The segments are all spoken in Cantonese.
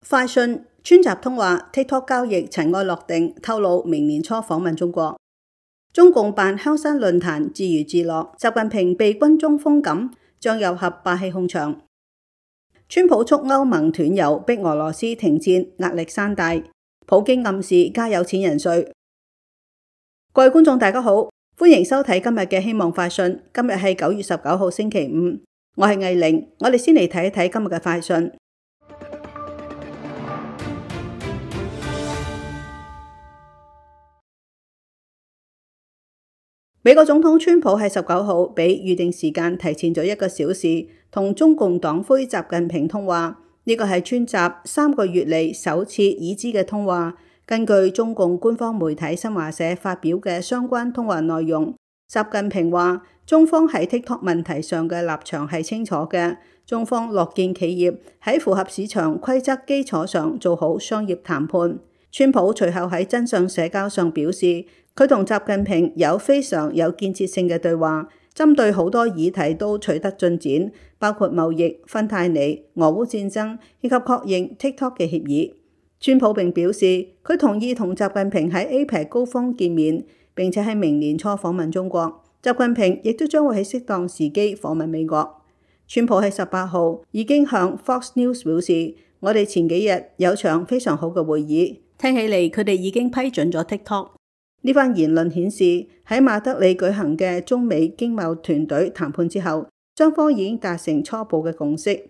快訊川習通話 TikTok 交易塵埃落定，透露明年初訪問中國。中共辦香山論壇自娛自樂，習近平被軍中封禁，張又俠霸氣控場。川普促歐盟斷油，逼俄羅斯停戰，壓力山大。普京暗示加有錢人稅。各位觀眾大家好，歡迎收睇今日嘅希望快訊。今日係9月19號星期五，我係藝玲。我哋先嚟睇一睇今日嘅快訊。美國總統川普喺19號比預定時間提前咗1個小時，同中共黨魁習近平通話。呢個係川習3個月嚟首次已知嘅通話。根據中共官方媒體新華社發表嘅相關通話內容，習近平話中方喺 TikTok 問題上嘅立場係清楚嘅，中方樂見企業喺符合市場規則基礎上做好商業談判。川普隨後喺真相社交上表示，佢同習近平有非常有建設性嘅對話，針對好多議題都取得進展，包括貿易、芬太尼、俄烏戰爭以及確認 TikTok 嘅協議。川普並表示，佢同意同習近平喺 APEC 高峰見面，並且喺明年初訪問中國。習近平亦都將會喺適當時機訪問美國。川普喺18號已經向 Fox News 表示，我哋前幾日有場非常好嘅會議，聽起嚟佢哋已經批准咗 TikTok。呢番言論顯示，喺馬德里舉行嘅中美經貿團隊談判之後，雙方已經達成初步嘅共識。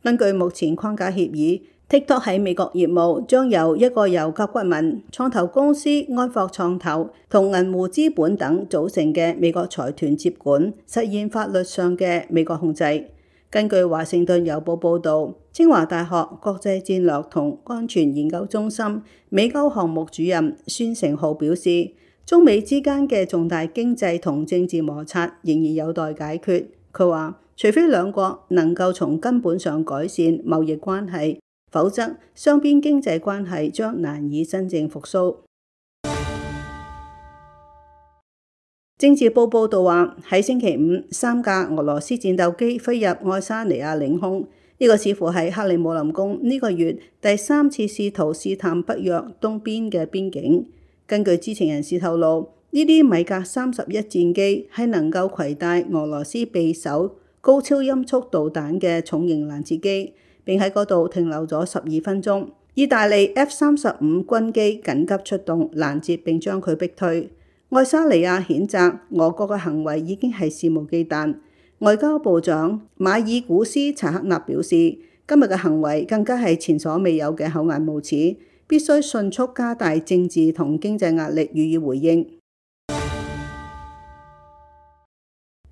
根據目前框架協議， TikTok 喺美國業務將由一個由甲骨文創投公司安霍創投同銀湖資本等組成嘅美國財團接管，實現法律上嘅美國控制。根據華盛頓郵報報導，清華大學國際戰略同安全研究中心美歐項目主任孫成浩表示，中美之間嘅重大經濟同政治摩擦仍然有待解決。佢話，除非兩國能夠從根本上改善貿易關係，否則雙邊經濟關係將難以真正復甦。政治報報道話，喺星期五，3架俄羅斯戰鬥機飛入愛沙尼亞領空。呢個似乎係克里姆林宮呢個月第3次試圖試探北約東邊嘅邊境。根據知情人士透露，呢啲米格31戰機係能夠攜帶俄羅斯匕首高超音速導彈嘅重型攔截機，並喺嗰度停留咗12分鐘。意大利 F-35軍機緊急出動攔截並將佢逼退。愛沙尼亞譴責俄國嘅行為已經係肆無忌憚。外交部長馬爾古斯查克納表示，今日嘅行為更加係前所未有嘅厚顏無恥，必須迅速加大政治同經濟壓力予以回應。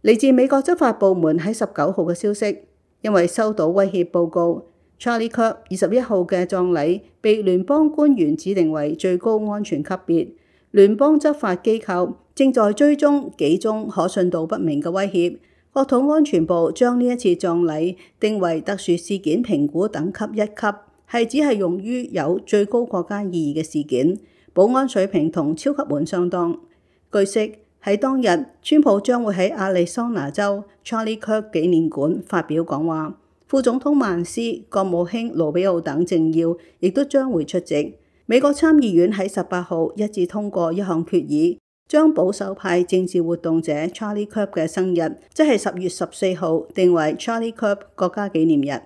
嚟自美國執法部門喺19號嘅消息，因為收到威脅報告， Charlie Kirk 21號嘅葬禮被聯邦官員指定為最高安全級別。聯邦執法機構正在追蹤幾宗可信度不明嘅威脅。國土安全部將呢一次葬禮定為特殊事件評估等級1級，係只係用於有最高國家意義嘅事件，保安水平同超級碗相當。據悉，喺當日，川普將會喺亞利桑那州 Charlie Kirk 紀念館發表講話，副總統曼斯、國務卿盧比奧等政要亦都將會出席。美國參議院喺18號一致通過一項決議，將保守派政治活動者 Charlie Kirk 嘅生日，即係10月14號，定為 Charlie Kirk 國家紀念日。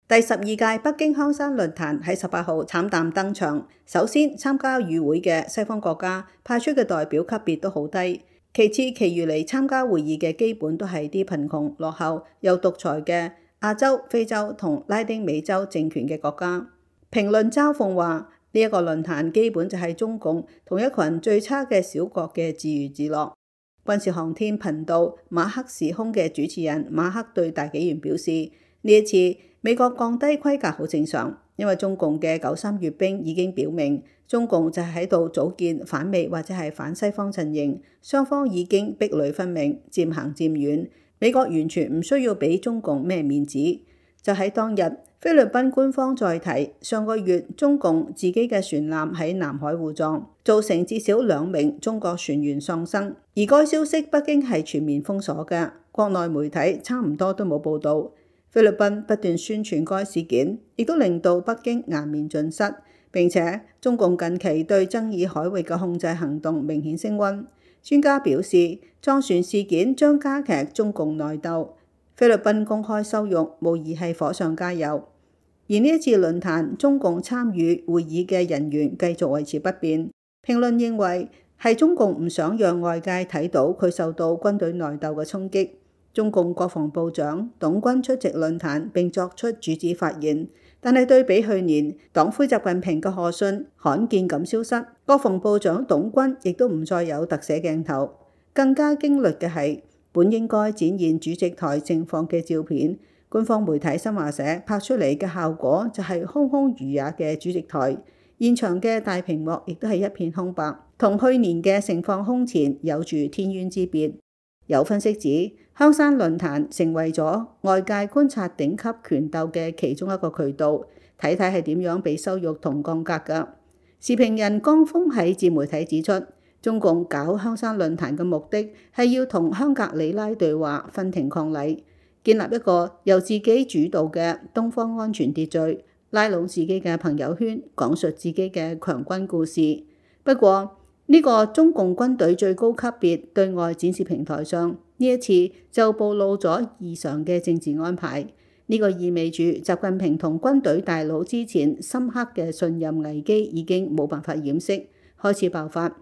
第12屆北京香山論壇喺18號慘淡登場。首先，參加與會嘅西方國家派出嘅代表級別都好低，其次，其餘嚟參加會議嘅基本都係啲貧窮、落後又獨裁嘅亞洲、非洲同拉丁美洲政權嘅國家。評論嘲諷話，呢一個論壇基本就係中共同一群最差嘅小國嘅自娛自樂。軍事航天頻道馬克時空嘅主持人馬克對大紀元表示，呢一次美國降低規格好正常，因為中共嘅93閱兵已經表明，中共就係喺度組建反美或者係反西方陣營，雙方已經壁壘分明，漸行漸遠。美國完全唔需要俾中共咩面子。就喺當日，菲律賓官方再提，上個月中共自己嘅船艦喺南海互撞，造成至少2名中國船員喪生。而該消息北京係全面封鎖嘅，國內媒體差唔多都冇報導。菲律賓不斷宣傳該事件，亦都令到北京顏面盡失。並且中共近期對爭議海域嘅控制行動明顯升溫。專家表示，撞船事件將加劇中共內鬥。菲律賓公開羞辱，無疑係火上加油。而呢一次論壇，中共參與會議嘅人員繼續維持不變。評論認為係中共唔想讓外界睇到佢受到軍隊內鬥嘅衝擊。中共國防部長董軍出席論壇並作出主旨發言，但係對比去年，黨魁習近平嘅賀信罕見咁消失，國防部長董軍亦都唔再有特寫鏡頭。更加驚慄嘅係，本應該展現主席台盛況嘅照片，官方媒體新華社拍出嚟嘅效果就係空空如也嘅主席台，現場嘅大屏幕亦都係一片空白，同去年嘅盛況空前有住天淵之別。有分析指，香山論壇成為咗外界觀察頂級權鬥嘅其中一個渠道，睇睇係點樣被羞辱同降格㗎。時評人江峰喺自媒體指出，中共搞香山論壇嘅目的係要同香格里拉對話，分庭抗禮，建立一個由自己主導嘅東方安全秩序，拉攏自己嘅朋友圈，講述自己嘅強軍故事。不過，呢個中共軍隊最高級別對外展示平台上，呢一次就暴露咗異常嘅政治安排。呢個意味住習近平同軍隊大佬之前深刻嘅信任危機已經冇辦法掩飾，開始爆發。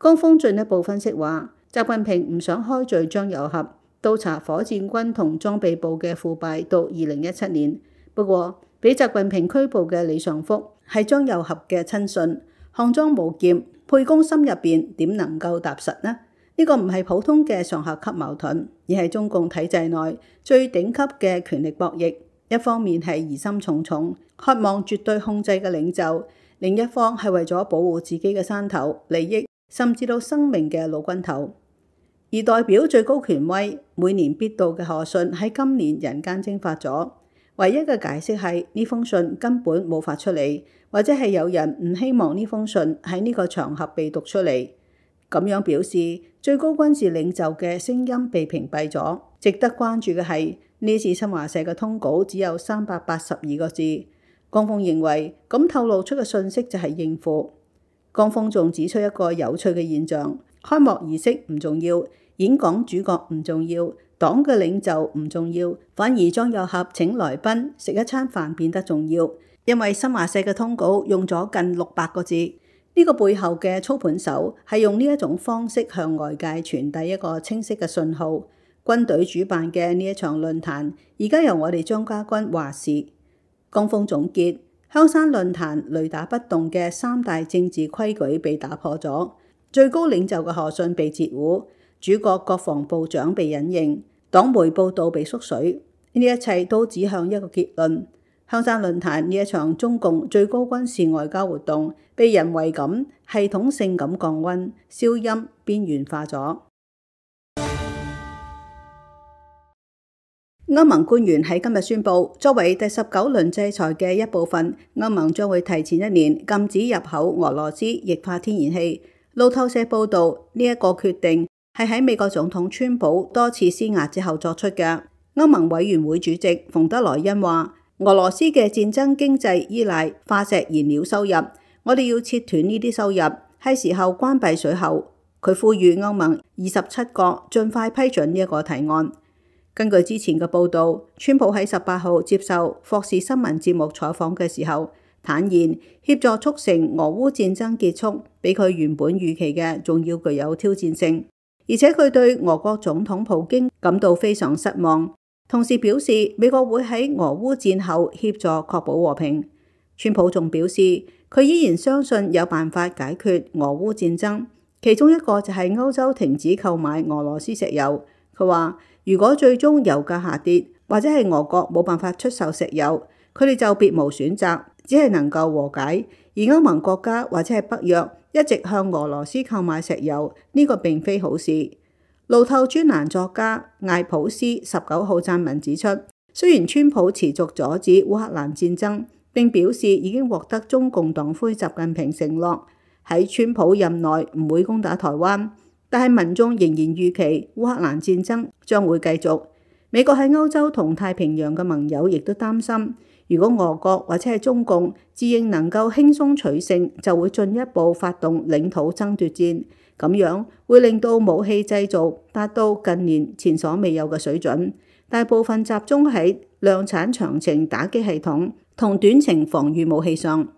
江峰進一步分析話，習近平唔想開罪張又俠，倒查火箭軍同裝備部嘅腐敗到2017年。不過，俾習近平拘捕嘅李尚福係張又俠嘅親信，項莊舞劍，沛公心入邊點能夠踏實呢？呢個唔係普通嘅上下級矛盾，而係中共體制內最頂級嘅權力博弈。一方面係疑心重重，渴望絕對控制嘅領袖；另一方係為咗保護自己嘅山頭利益，甚至到生命嘅老軍頭。而代表最高權威、每年必到嘅賀信喺今年人間蒸發咗。唯一嘅解釋係呢封信根本冇發出嚟，或者係有人唔希望呢封信喺呢個場合被讀出嚟。咁樣表示最高軍事領袖嘅聲音被屏蔽咗。值得關注嘅係呢次新華社嘅通稿只有382個字。江峰認為咁透露出嘅信息就係應付。江峰仲指出一個有趣嘅現象：開幕儀式唔重要，演講主角唔重要，黨嘅領袖唔重要，反而張又俠請來賓食一餐飯變得重要。因為新華社嘅通稿用咗近600個字，呢個背後嘅操盤手係用呢一種方式向外界傳遞一個清晰嘅信號。軍隊主辦嘅呢一場論壇，而家由我哋張家軍話事。江峰總結，香山論壇雷打不動嘅3大政治規矩被打破咗，最高領袖嘅賀信被截胡，主角國防部長被隱形，黨媒報導被縮水，呢一切都指向一個結論：香山論壇呢一場中共最高軍事外交活動，被人為咁系統性咁降溫、消音、邊緣化咗。歐盟官員喺今日宣布，作為第19輪制裁嘅一部分，歐盟將會提前1年禁止入口俄羅斯液化天然氣。路透社報導，呢一個決定係喺美國總統川普多次施壓之後作出嘅。歐盟委員會主席馮德萊恩話：俄羅斯嘅戰爭經濟依賴化石燃料收入，我哋要切斷呢啲收入，係時候關閉水喉。佢呼籲歐盟27國盡快批准呢一個提案。根據之前嘅報導，川普喺18號接受霍士新聞節目採訪嘅時候，坦言協助促成俄烏戰爭結束，比佢原本預期嘅仲要具有挑戰性。而且佢對俄國總統普京感到非常失望，同時表示美國會喺俄烏戰後協助確保和平。川普仲表示，佢依然相信有辦法解決俄烏戰爭，其中一個就係歐洲停止購買俄羅斯石油。佢話：如果最終油價下跌，或者係俄國冇辦法出售石油，佢哋就別無選擇，只係能夠和解。而歐盟國家或者係北約一直向俄羅斯購買石油，呢個並非好事。路透專欄作家艾普斯19號撰文指出，雖然川普持續阻止烏克蘭戰爭，並表示已經獲得中共黨魁習近平承諾喺川普任內唔會攻打台灣，但係民眾仍然預期烏克蘭戰爭將會繼續。美國喺歐洲同太平洋嘅盟友亦都擔心，如果俄國或者係中共自認能夠輕鬆取勝，就會進一步發動領土爭奪戰，咁樣會令到武器製造達到近年前所未有嘅水準，大部分集中喺量產長程打擊系統同短程防禦武器上。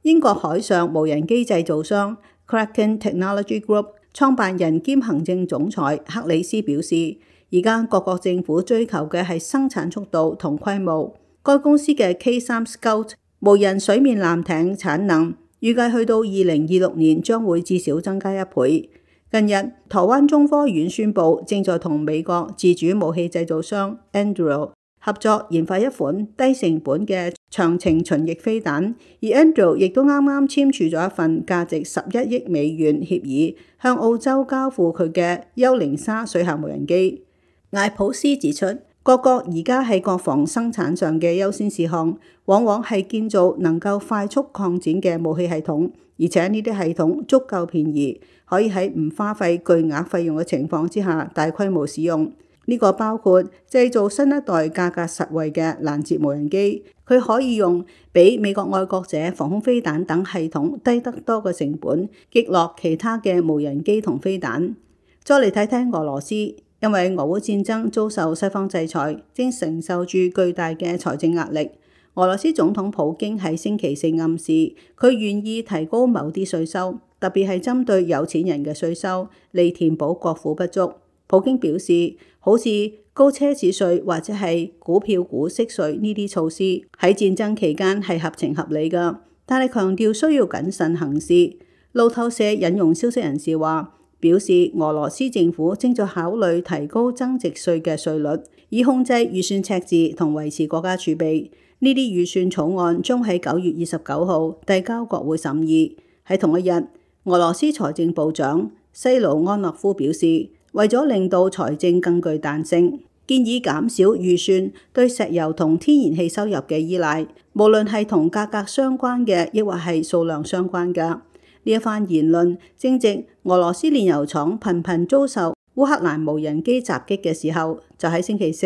英國海上無人機製造商 Kraken Technology Group 創辦人兼行政總裁克里斯表示，而家各國政府追求嘅係生產速度同規模。該公司嘅 K3 Scout 無人水面艦艇產能預計去到2026年將會至少增加1倍。近日，台灣中科院宣布正在同美國自主武器製造商 Anduril 合作研發一款低成本嘅長程巡弋飛彈，而 Anduril 亦都啱啱簽署咗一份價值11億美元協議，向澳洲交付佢嘅幽靈沙水下無人機。艾普斯指出，各國而家喺國防生產上嘅優先事項，往往係建造能夠快速擴展嘅武器系統，而且呢啲系統足夠便宜，可以喺唔花費巨額費用嘅情況之下大規模使用。呢個包括製造新一代價格實惠嘅攔截無人機，佢可以用比美國愛國者防空飛彈等系統低得多嘅成本擊落其他嘅無人機同飛彈。再嚟睇睇俄羅斯。因為俄烏戰爭遭受西方制裁，正承受住巨大嘅財政壓力。俄羅斯總統普京喺星期四暗示，佢願意提高某啲稅收，特別係針對有錢人嘅稅收，嚟填補國庫不足。普京表示，好似高奢侈稅或者係股票股息稅呢啲措施，喺戰爭期間係合情合理㗎，但係強調需要謹慎行事。路透社引用消息人士話，表示俄羅斯政府正在考慮提高增值稅嘅稅率，以控制預算赤字同維持國家儲備。呢啲預算草案將喺9月29號遞交國會審議。喺同一日，俄羅斯財政部長西盧安諾夫表示，為咗令到財政更具彈性，建議減少預算對石油同天然氣收入嘅依賴，無論係同價格相關嘅，抑或係數量相關嘅。呢一番言論正值俄羅斯煉油廠頻頻遭受烏克蘭無人機襲擊嘅時候，就喺星期四，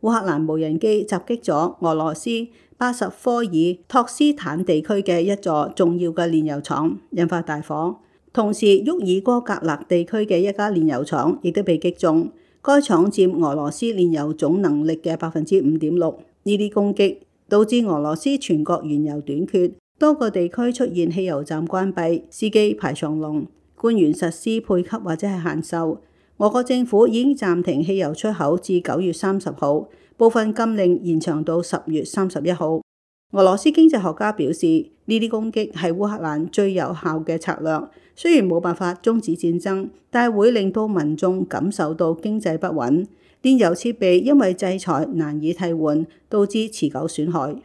烏克蘭無人機襲擊咗俄羅斯巴什科爾托斯坦地區嘅一座重要嘅煉油廠，引發大火。同時，沃爾哥格勒地區嘅一家煉油廠亦都被擊中，該廠佔俄羅斯煉油總能力嘅5.6%。呢啲攻擊導致俄羅斯全國原油短缺。多個地區出現汽油站關閉、司機排長龍，官員實施配給或者係限售。俄國政府已經暫停汽油出口至9月30號，部分禁令延長到10月31號。俄羅斯經濟學家表示，呢啲攻擊係烏克蘭最有效嘅策略，雖然冇辦法終止戰爭，但係會令到民眾感受到經濟不穩。煉油設備因為制裁難以替換，導致持久損害。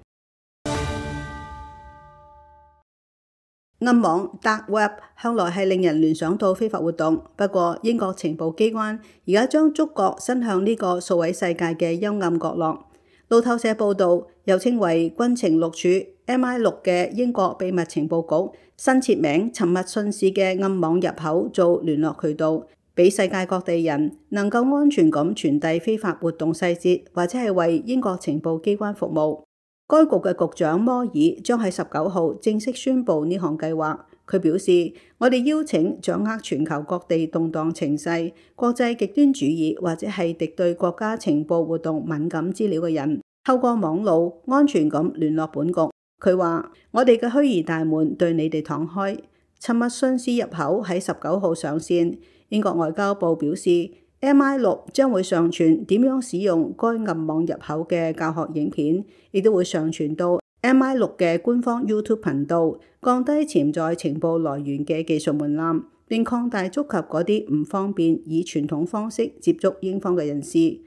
暗網 Dark Web 向來係令人聯想到非法活動，不過英國情報機關而家將觸角伸向呢個數位世界嘅幽暗角落。路透社報導，又稱為軍情六處 MI6 嘅英國秘密情報局新設名沉默信使嘅暗網入口做聯絡渠道，俾世界各地人能夠安全咁傳遞非法活動細節，或者係為英國情報機關服務。該局嘅局長摩爾將喺19號正式宣布呢項計劃。佢表示，我哋邀請掌握全球各地動盪情勢、國際極端主義或者係敵對國家情報活動敏感資料嘅人，透過網路安全咁聯絡本局。佢話：我哋嘅虛擬大門對你哋敞開。沉默信使入口喺19號上線。英國外交部表示，MI6 將會上傳點樣使用該暗網入口嘅教學影片，亦都會上傳到 MI6 嘅官方 YouTube 頻道，降低潛在情報來源嘅技術門檻，並擴大觸及嗰啲唔方便以傳統方式接觸英方嘅人士。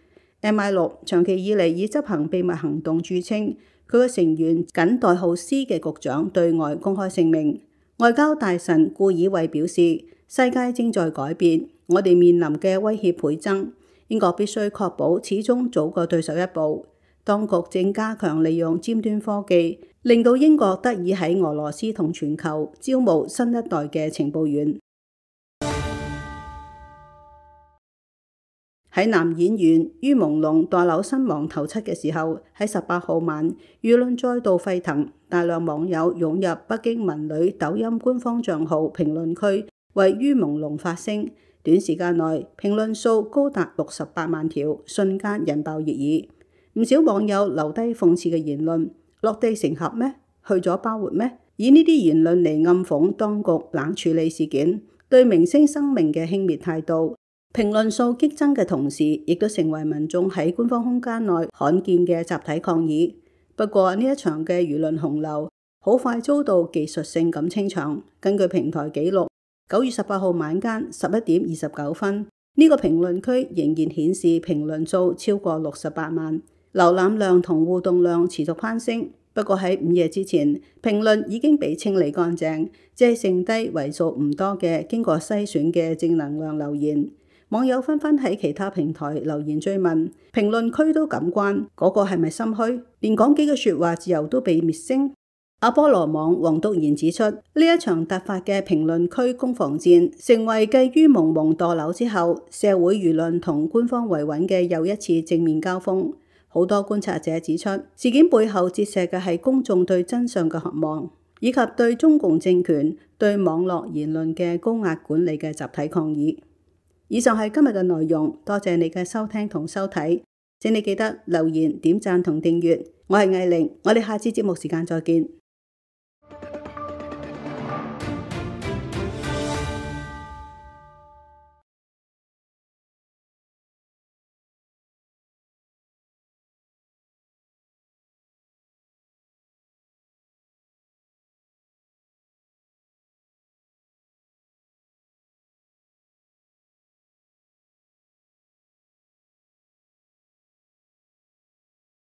MI6 長期以嚟以執行秘密行動著稱，佢嘅成員僅代號 C 嘅局長對外公開聲明。外交大臣顧爾衛表示，世界正在改變，我哋面臨嘅威脅倍增，英國必須確保始終早過對手一步。當局正加強利用尖端科技，令到英國得以喺俄羅斯同全球招募新一代嘅情報員。喺男演員于朦朧墮樓身亡頭七嘅時候，喺18號晚，輿論再度沸騰，大量網友湧入北京文旅抖音官方賬號評論區，為于朦朧發聲。短時間內，評論數高達68萬條，瞬間引爆熱議。唔少網友留低諷刺嘅言論：落地成盒咩？去咗包活咩？以呢啲言論嚟暗諷當局冷處理事件，對明星生命嘅輕蔑態度。評論數激增嘅同時，亦都成為民眾喺官方空間內罕見嘅集體抗議。不過呢一場嘅輿論洪流好快遭到技術性咁清場。根據平台記錄，9月18號晚間11點29分，呢個評論區仍然顯示評論數超過68萬，瀏覽量同互動量持續攀升。不過喺午夜之前，評論已經被清理乾淨，只係剩低為數唔多嘅經過篩選嘅正能量留言。網友紛紛喺其他平台留言追問，評論區都咁關，嗰個係咪心虛？連講幾句說話自由都被滅聲。阿波羅網黃篤賢指出，呢一場突發嘅評論區攻防戰，成為繼于朦朧墮樓之後，社會輿論同官方維穩嘅又一次正面交鋒。好多觀察者指出，事件背後折射嘅係公眾對真相嘅渴望，以及對中共政權對網絡言論嘅高壓管理嘅集體抗議。以上係今日嘅內容，多謝你嘅收聽同收睇，請你記得留言、點讚同訂閱。我係艾玲，我哋下次節目時間再見。